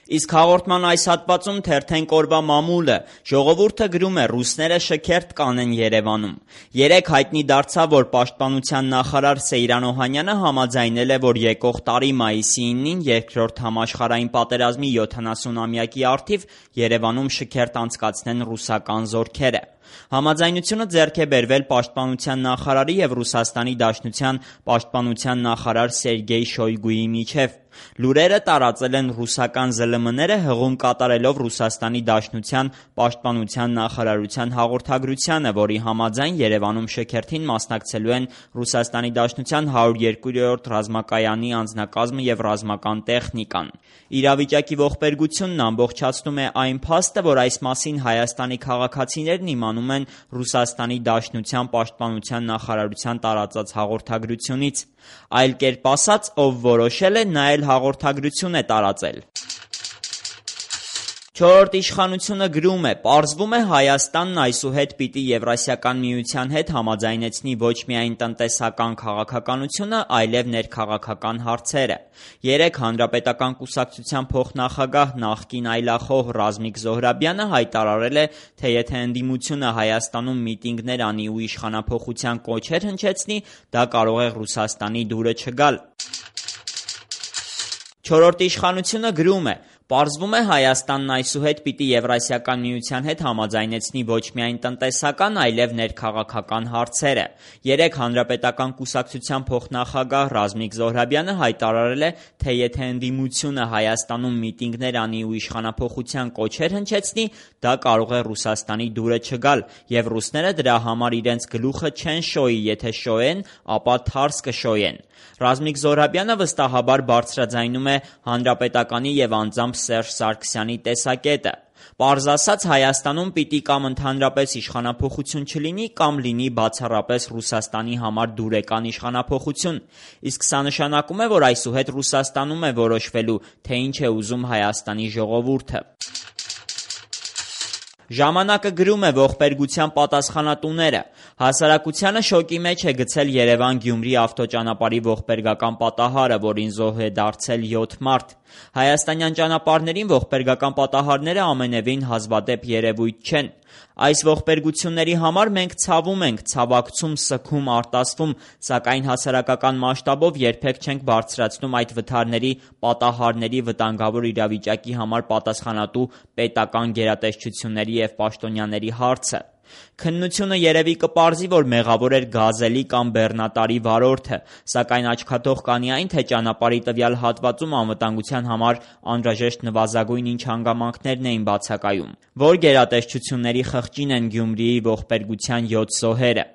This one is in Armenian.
Իսկ հաղորդման այս հատվածում թերթենք օրվա մամուլը, ժողովուրդը գրում է ռուսները շքերթ կանեն Երևանում։ Երեկ հայտնի դարձավ, որ պաշտպանության նախարար Սեյրան Օհանյանը համաձայնել է, որ եկող տարի մայիսի 9-ին երկրորդ համաշխարհային պատերազմի 70-ամյակի առթիվ Երևանում շքերթ անցկացնեն ռուսական զորքերը։ Համաձայնությունը ձեռք է բերվել պաշտպանության նախարարի և Ռուսաստանի Դաշնության պաշտպանության նախարար Սերգեյ Շոյգուի միջև։ Լուրերը տարածել են ռուսական ԶԼՄ-ները հղում կատարելով Ռուսաստանի Դաշնության պաշտպանության նախարարության հաղորդագրությանը, որի համաձայն Երևանում շքերթին մասնակցելու են Ռուսաստանի Դաշնության 102-րդ ռազմակայանի անձնակազմը և ռազմական տեխնիկան։ Իրավիճակի ողբերգությունն ամբողջացնում է այն փաստը, որ այս մասին Հայաստանի քաղաքացիներն իմանում են Ռուսաստանի Դաշնության պաշտպանության նախարարության տարածած հաղորդագրությունից։ Այլ կերպ ասած, ով որոշել է, նա էլ հաղորդագրություն է տարածել։ Չորրորդ իշխանությունը գրում է. «Պարզվում է Հայաստանն այսուհետ պիտի Եվրասիական միության հետ համաձայնեցնի ոչ միայն տնտեսական քաղաքականությունը, այլև ներքաղաքական հարցերը»։ Երեկ Հանրապետական կուսակցության փոխնախագահ նախկին այլախոհ Ռազմիկ Զոհրաբյանը հայտարարել է, թե եթե ընդդիմությունը Հայաստանում միտինգներ անի ու իշխանափոխության կոչեր հնչեցնի, դա կարող է Ռուսաստանի դուրը չգալ։ Չորրորդ իշխանությունը գրում է. «Պարզվում է Հայաստանն այսուհետ պիտի Եվրասիական միության հետ համաձայնեցնի ոչ միայն տնտեսական, այլև ներքաղաքական հարցերը»։ Երեկ Հանրապետական կուսակցության փոխնախագահ Ռազմիկ Զոհրաբյանը հայտարարել է, թե եթե ընդդիմությունը Հայաստանում միտինգներ անի ու իշխանափոխության կոչեր հնչեցնի, դա կարող է Ռուսաստանի դուրը չգալ, և ռուսները դրա համար իրենց գլուխը չեն շոյի, եթե շոյեն, ապա թարս կշոյեն։ Ռազմիկ Զոհրաբյանը վստահաբար բարձրաձայնում է Հանրապետականի և անձամբ Սերժ Սարգսյանի տեսակետը։ Պարզ ասած, Հայաստանում պիտի կամ ընդհանրապես իշխանափոխություն չլինի, կամ լինի բացառապես Ռուսաստանի համար դուրեկան իշխանափոխություն։ Իսկ սա նշանակում է, որ այսուհետ Ռուսաստանում է որոշվելու, թե ինչ է ուզում Հայաստանի ժողովուրդը։ Ժամանակը գրում է ողբերգության պատասխանատուները։ Հասարակությանը շոկի մեջ է գցել Երևան-Գյումրի ավտոճանապարհի ողբերգական պատահարը, որին զոհ է դարձել 7 մարդ։ Հայաստանյան ճանապարհներին ողբերգական պատահարները ամենևին հազվադեպ երևույթ չեն։ Այս ողբերգությունների համար մենք ցավում ենք, ցավակցում, սգում, արտասվում, սակայն հասարակական մասշտաբով երբեք չենք բարձրացնում այդ վթարների, պատահարների, վտանգավոր իրավիճակի համար պատասխանատու պետական գերատեսչությունների և պաշտոնյաների հարցը։ Քննությունը երևի կպարզի, որ մեղավոր էր գազելի կամ բեռնատարի վարորդը, սակայն աչքաթող կանի այն, թե ճանապարհի տվյալ հատվածում անվտանգության համար անհրաժեշտ նվազագույն ինչ հանգամանքներն էին բացակայում։ Որ գերատեսչությունների խղճին են Գյումրիի ողբերգության 7 զոհերը։